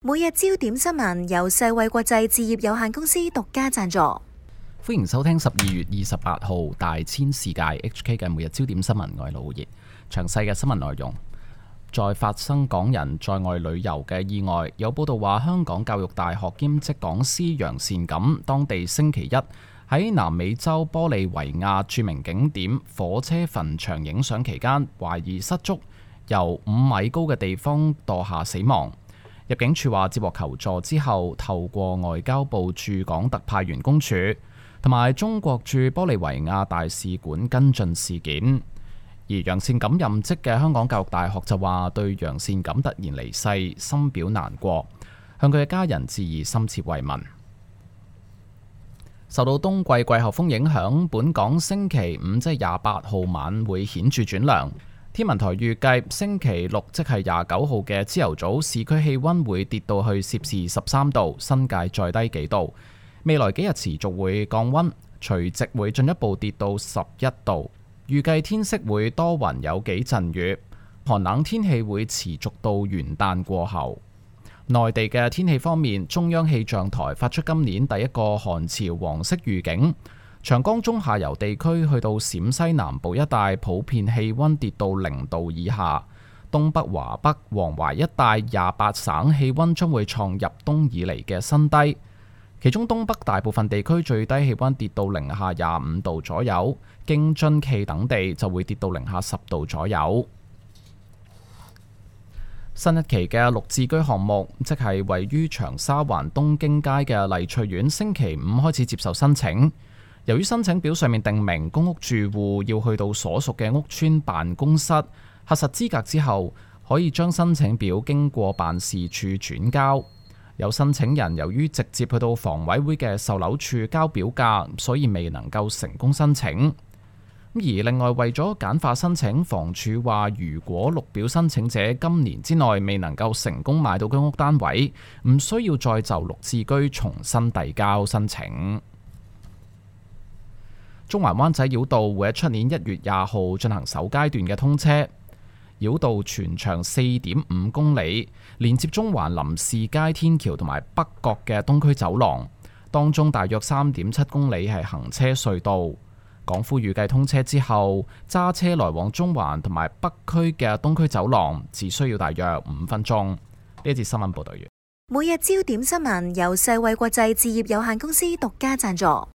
每日焦點新聞由世衛國際置業有限公司獨家贊助。歡迎收聽12月28號大千世界 HK 嘅每日焦點新聞，我係老葉。詳細嘅新聞內容，再發生港人在外旅遊嘅意外。有報道話，香港教育大學兼職講師楊善錦，當地星期一喺南美洲玻利維亞著名景點火車墳場影相期間，懷疑失足由5米高嘅地方墮下死亡。入境處話接獲求助之後，透過外交部駐港特派員公署同埋中國駐玻利維亞大使館跟進事件。而楊善錦任職嘅香港教育大學就話對楊善錦突然離世深表難過，向佢嘅家人致以深切慰問。受到冬季季候風影響，本港星期五即係28號晚會顯著轉涼。天文台預計星期六即係29號嘅朝頭早，市區氣溫會跌到去攝氏13度，新界再低幾度。未來幾日持續會降溫，除夕會進一步跌到11度。預計天色會多雲有幾陣雨，寒冷天氣會持續到元旦過後。內地嘅天氣方面，中央氣象台發出今年第一個寒潮黃色預警。長江中下游地區去到陝西南部一帶，普遍氣溫跌到0度以下。東北、華北、黃淮一帶28省氣溫將會創入冬以嚟嘅新低，其中東北大部分地區最低氣溫跌到零下25度左右，京津冀等地就會跌到零下10度左右。新一期嘅綠置居項目，即係位於長沙灣東京街嘅麗翠苑，星期五開始接受申請。由於申請表上面訂明公屋住戶要去到所屬嘅屋邨辦公室核實資格之後，可以將申請表經過辦事處轉交。有申請人由於直接去到房委會嘅售樓處交表格，所以未能夠成功申請。而另外為咗簡化申請，房署話如果綠表申請者今年之內未能夠成功買到居屋單位，唔需要再就綠置居重新遞交申請。中環灣仔繞道會喺出年1月20號進行首階段嘅通車，繞道全長4.5公里，連接中環林士街天橋同埋北角嘅東區走廊，當中大約3.7公里係行車隧道。港府預計通車之後，揸車來往中環同埋北區嘅東區走廊只需要大約5分鐘。呢一節新聞報道完。每日焦點新聞由世衛國際置業有限公司獨家贊助。